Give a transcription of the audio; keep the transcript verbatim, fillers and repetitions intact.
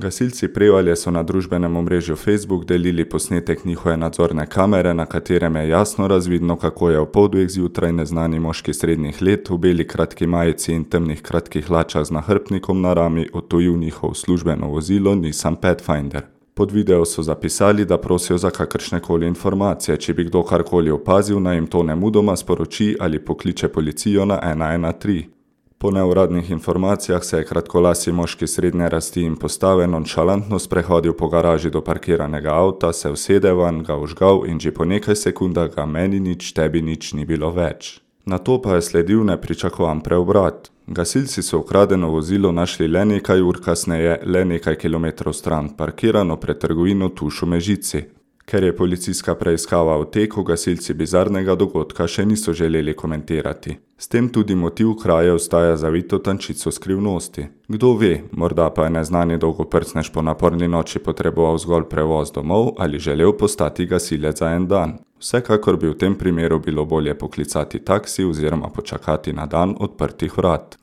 Gasilci Prevalje so na družbenem omrežju Facebook delili posnetek njihove nadzorne kamere, na katerem je jasno razvidno, kako je v pol dveh zjutraj neznani moški srednjih let v beli kratki majici in temnih kratkih hlačah z nahrbtnikom na rami odtujil njihov službeno vozilo Nissan Pathfinder. Pod video so zapisali, da prosijo za kakršnekoli informacije, če bi kdo karkoli opazil, naj jim to nemudoma sporoči ali pokliče policijo na ena ena tri. Po neuradnih informacijah se je kratkolasi moški srednje rasti in postave nonšalantno sprehodil po garaži do parkiranega avta, se usede vanj, ga vžgal in že po nekaj sekundah ga meni nič, tebi nič ni bilo več. Nato pa je sledil nepričakovan preobrat. Gasilci so ukradeno vozilo našli le nekaj ur kasneje, le nekaj kilometrov stran, parkirano pred trgovino Tuš v Mežici. Ker je policijska preiskava v teku, gasilci bizarnega dogodka še niso želeli komentirati. S tem tudi motiv kraje ostaja zavito tančico skrivnosti. Kdo ve, morda pa je neznani dolgoprcnež po naporni noči potreboval zgolj prevoz domov ali želel postati gasilec za en dan. Vsekakor bi v tem primeru bilo bolje poklicati taksi oziroma počakati na dan odprtih vrat.